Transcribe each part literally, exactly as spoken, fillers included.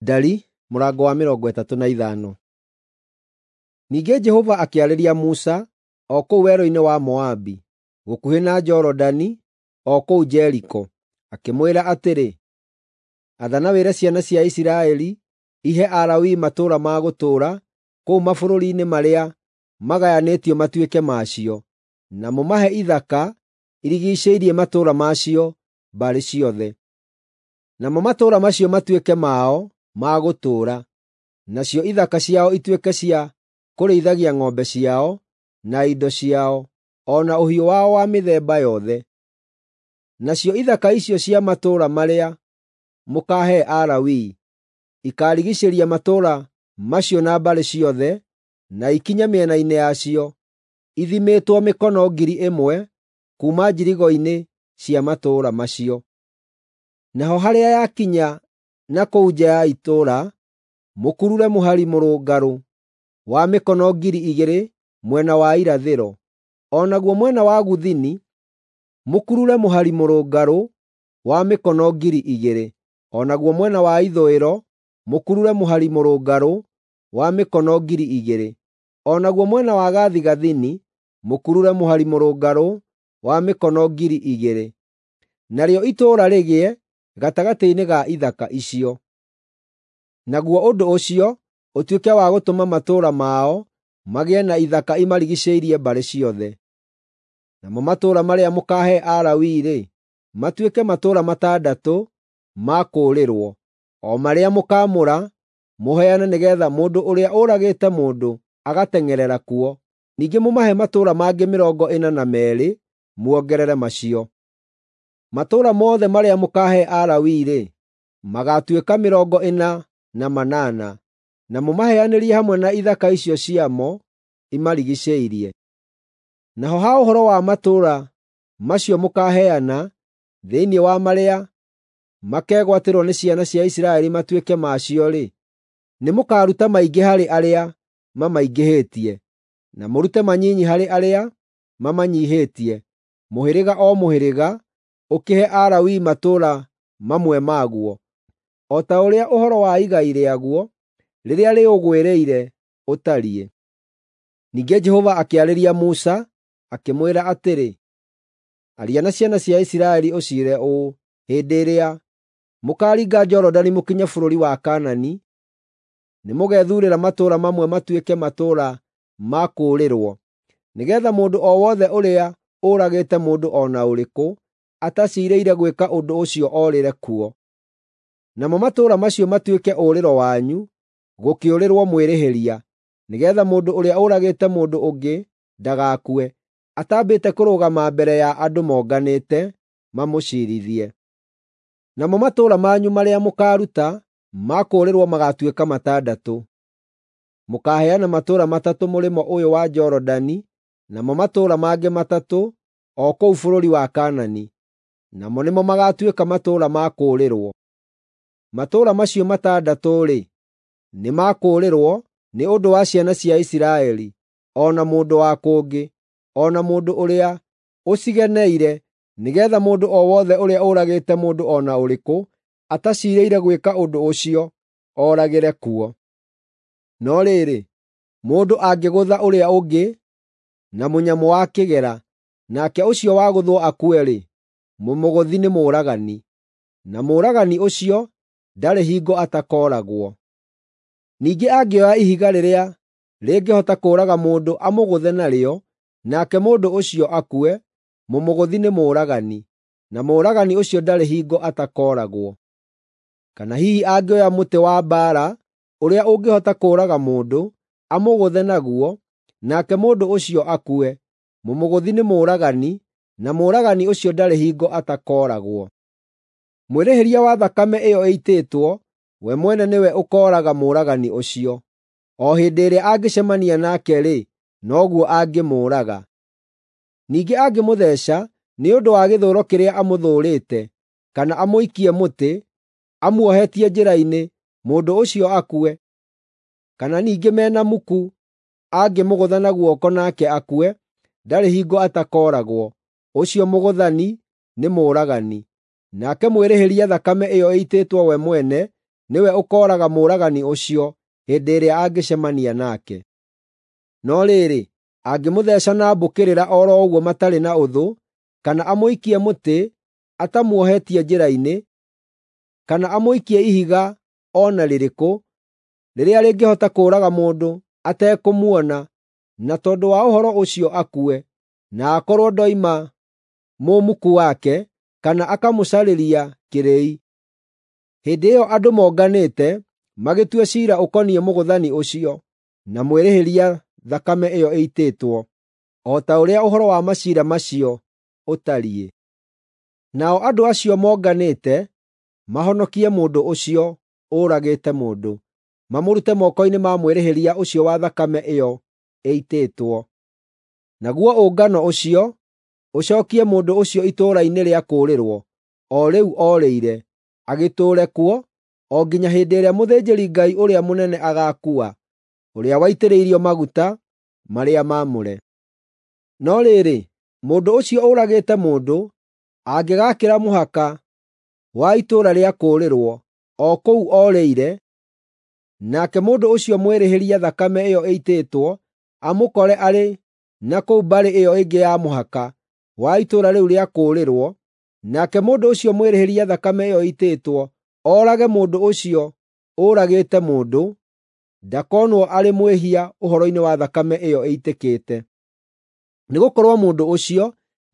Ndari mũrango wa mĩrongo ĩtatũ na ithano. Ningĩ Jehova akĩarĩria Musa o kũu werũ-inĩ wa Moabi, gũkuhĩ na Jorodani, o kũu Jeriko, akĩmwĩra atĩrĩ, “Athana wĩre ciana cia Isiraeli ihe Alawii matũũra ma gũtũũra kũu mabũrũri-inĩ marĩa magayanĩtio matuĩke macio, na mũmahe ithaka irigiicĩirie matũũra macio mbarĩ ciothe. Namo matũũra macio matuĩke mao ma gũtũũra, nacio ithaka ciao ituĩke cia kũrĩithagia ng'ombe ciao, na indo ciao, o na ũhiũ wao wa mĩthemba yothe. Nacio ithaka icio cia matũũra marĩa mũkaahe Alawii ikaarigiicĩria matũũra macio na mbarĩ ciothe, na ikinye mĩena-inĩ yacio, ithimĩtwo mĩkono ngiri ĩmwe kuuma njirigo-inĩ cia matũũra macio. Naho harĩa yakinya na kũu nja ya itũũra, mũkurure mũhari mũrũngarũ wa mĩkono ngiri igĩrĩ mwena wa irathĩro, o naguo mwena wa gũthini mũkurure mũhari mũrũngarũ wa mĩkono ngiri igĩrĩ, o naguo mwena wa ithũĩro mũkurure mũhari mũrũngarũ wa mĩkono ngiri igĩrĩ, o naguo mwena wa gathigathini mũkurure mũhari mũrũngarũ wa mĩkono ngiri igĩrĩ. Narĩo itũũra rĩgĩe gatagatĩ-inĩ ga ithaka icio. Naguo ũndũ ũcio ũtuĩke wa gũtũma matũũra mao magĩe na ithaka imarigiicĩirie mbarĩ ciothe. Namo matũũra marĩa mũkaahe Alawii-rĩ, matuĩke matũũra matandatũ ma kũũrĩrwo, o marĩa mũkaamũra mũheane nĩgeetha mũndũ ũrĩa ũragĩte mũndũ agateng'erera kuo. Ningĩ mũmahe matũũra mangĩ mĩrongo ĩna na meerĩ muongerere macio. Matũũra mothe marĩa mũkaahe Alawii-rĩ, magaatuĩka mĩrongo ĩna na manana, na mũmaheanĩrie hamwe na ithaka icio ciamo imarigiicĩirie. Naho ha ũhoro wa matũũra macio mũkaaheana thĩinĩ wa marĩa makegwatĩrwo nĩ ciana cia Isiraeli matuĩke macio-rĩ, nĩmũkaruta maingĩ harĩ arĩa mamaingĩhĩtie, na mũrute manyinyi harĩ arĩa mamanyiihĩtie, mũhĩrĩga o mũhĩrĩga ũkĩhe Alawii matũũra mamwe maguo, o ta ũrĩa ũhoro wa igai rĩaguo rĩrĩa rĩũgwĩrĩire ũtariĩ. Ningĩ Jehova akĩarĩria Musa, akĩmwĩra atĩrĩ, “Aria na ciana cia Isiraeli ũciĩre ũũ: Hĩndĩ ĩrĩa mũkaaringa Jorodani mũkinye bũrũri wa Kaanani, nĩmũgethuurĩra matũũra mamwe matuĩke matũũra ma kũũrĩrwo, nĩgeetha mũndũ o wothe ũrĩa ũragĩte mũndũ o na ũrĩkũ ataciirĩire gwĩka ũndũ ũcio orĩre kuo. Namo matũũra macio matuĩke ũũrĩro wanyu gũkĩũrĩrwo mwĩrĩhĩria, nĩgeetha mũndũ ũrĩa ũragĩte mũndũ ũngĩ ndagakue atambĩte kũrũgama mbere ya andũ monganĩte mamũciirithie. Namo matũũra manyu marĩa mũkaaruta ma kũũrĩrwo magaatuĩka matandatũ. Mũkaaheana matũũra matatũ mũrĩmo ũyũ wa Jorodani, namo matũũra mangĩ matatũ o kũu bũrũri wa Kaanani, namo nĩmo magaatuĩka matũũra ma kũũrĩrwo. Matũũra macio matandatũ-rĩ, nĩ ma kũũrĩrwo nĩ ũndũ wa ciana cia Isiraeli, o na mũndũ wa kũngĩ, o na mũndũ ũrĩa ũcigeneire, nĩgeetha mũndũ o wothe ũrĩa ũragĩte mũndũ o na ũrĩkũ ataciirĩire gwĩka ũndũ ũcio oragĩre kuo. No rĩrĩ, mũndũ angĩgũtha ũrĩa ũngĩ na mũnyamũ wa kĩgera, nake ũcio wagũthwo akue-rĩ, mũmũgũthi nĩ mũũragani, na mũũragani ũcio ndarĩ hingo atakooragwo. Ningĩ angĩoya ihiga rĩrĩa rĩngĩhota kũũraga mũndũ amũgũthe narĩo, nake mũndũ ũcio akue, mũmũgũthi nĩ mũũragani, na mũũragani ũcio ndarĩ hingo atakooragwo. Kana hihi angĩoya mũtĩ wa mbaara ũrĩa ũngĩhota kũũraga mũndũ, amũgũthe naguo, nake mũndũ ũcio akue, mũmũgũthi nĩ mũũragani, na mũũragani ũcio ndarĩ hingo atakooragwo. Mwĩrĩhĩria wa thakame ĩyo ĩitĩtwo, we mwene nĩwe ũkooraga mũũragani ũcio. O hĩndĩ ĩrĩa angĩcemania nake-rĩ, noguo angĩmũũraga. Ningĩ angĩmũtheeca nĩ ũndũ wa gĩthũũro kĩrĩa amũthũũrĩte, kana amũikie mũtĩ, amuohetie njĩra-inĩ, mũndũ ũcio akue, kana ningĩ me na muku angĩmũgũtha na guoko nake akue, ndarĩ hingo atakooragwo. Ũcio mũgũthani nĩ mũũragani. Nake mwĩrĩhĩria thakame ĩyo ĩitĩtwo we mwene nĩwe ũkooraga mũũragani ũcio hĩndĩ ĩrĩa angĩcemania nake. No rĩrĩ, angĩmũtheeca na mbũkĩrĩra o ro ũguo matarĩ na ũthũ, kana amũikie mũtĩ atamuohetie njĩra-inĩ, kana amũikie ihiga o na rĩrĩkũ, rĩrĩa rĩngĩhota kũũraga mũndũ atekũmuona, na tondũ wa ũhoro ũcio akue, na akorwo ndoima mũmuku wake, kana akamũcarĩria kĩrĩi. Hĩndĩ ĩyo andũ monganĩte magĩtue ciira ũkoniĩ mũgũthani ũcio na mwĩrĩhĩria thakame ĩyo ĩitĩtwo, o ta ũrĩa ũhoro wa maciira macio ũtariĩ. Nao andũ acio monganĩte mahonokie mũndũ ũcio ũragĩte mũndũ, mamũrute moko-inĩ ma mwĩrĩhĩria ũcio wa thakame ĩyo ĩitĩtwo. Naguo ũngano ũcio ũcookie mũndũ ũcio itũũra-inĩ rĩa kũũrĩrwo, o rĩu orĩire, agĩtũũre kuo o nginya hĩndĩ ĩrĩa mũthĩnjĩri-Ngai ũrĩa mũnene agaakua, ũrĩa waitĩrĩirio maguta marĩa maamũre. No rĩrĩ, mũndũ ũcio ũragĩte mũndũ angĩgaakĩra mũhaka wa itũũra rĩa kũũrĩrwo o kũu orĩire, nake mũndũ ũcio mwĩrĩhĩria thakame ĩyo ĩitĩtwo amũkore arĩ na kũu mbarĩ ĩyo ĩngĩ ya mũhaka wa itũũra rĩu rĩa kũũrĩrwo, nake mũndũ ũcio mwĩrĩhĩria thakame ĩyo ĩitĩtwo oorage mũndũ ũcio ũragĩte mũndũ, ndakonwo arĩ mwĩhia ũhoro-inĩ wa thakame ĩyo ĩitĩkĩte. Nĩgũkorwo mũndũ ũcio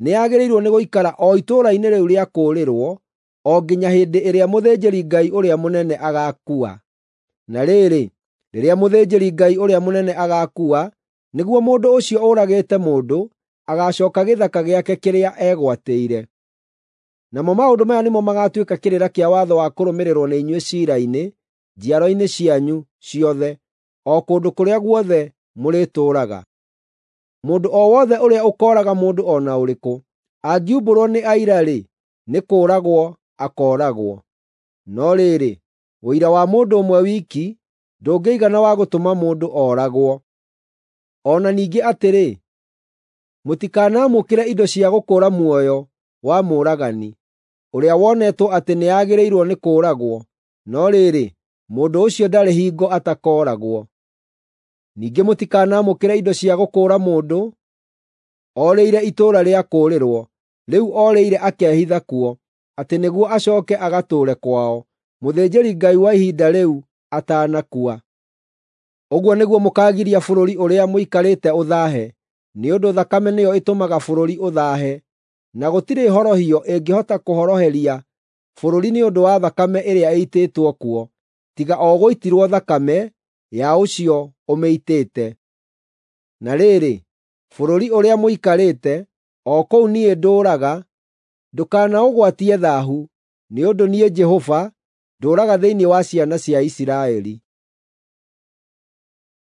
nĩagĩrĩirwo nĩ gũikara o itũũra-inĩ rĩu rĩa kũũrĩrwo o nginya hĩndĩ ĩrĩa mũthĩnjĩri-Ngai ũrĩa mũnene agaakua. Na rĩrĩ, rĩrĩa mũthĩnjĩri-Ngai ũrĩa mũnene agaakua, nĩguo mũndũ ũcio ũragĩte mũndũ agaacooka gĩthaka gĩake kĩrĩa eegwatĩire. Namo maũndũ maya nĩmo magaatuĩka kĩrĩra kĩa watho wa kũrũmĩrĩrwo nĩ inyuĩ ciira-inĩ, njiaro-inĩ cianyu ciothe, o kũndũ kũrĩa guothe mũrĩtũũraga. Mũndũ o wothe ũrĩa ũkooraga mũndũ o na ũrĩkũ, angiumbũrwo nĩ aira-rĩ, nĩ kũũragwo akooragwo. No rĩrĩ, ũira wa mũndũ ũmwe wiki ndũngĩigana wa gũtũma mũndũ ooragwo. O na ningĩ atĩrĩ, mũtikanamũkĩre indo cia gũkũũra muoyo wa mũũragani, ũrĩa wonetwo atĩ nĩagĩrĩirwo nĩ kũũragwo, no rĩrĩ, mũndũ ũcio ndarĩ hingo atakooragwo. Ningĩ mũtikanamũkĩre indo cia gũkũũra mũndũ orĩire itũũra rĩa kũũrĩrwo, rĩu orĩire akehitha kuo, atĩ nĩguo acooke agatũũre kwao, mũthĩnjĩri-Ngai wa ihinda rĩu atanakua. Ũguo nĩguo mũkaagiria bũrũri ũrĩa mũikarĩte ũthaahe, nĩ ũndũ thakame nĩyo ĩtũmaga bũrũri ũthaahe, na gũtirĩ horohio ĩngĩhota kũhoroheria bũrũri nĩ ũndũ wa thakame ĩrĩa ĩitĩtwo kuo, tiga o gũitirwo thakame ya ũcio ũmĩitĩte. Na rĩrĩ, bũrũri ũrĩa mũikarĩte, o kũu niĩ ndũũraga, ndũkanaũgwatie thaahu, nĩ ũndũ niĩ Jehova ndũũraga thĩinĩ wa ciana cia Isiraeli.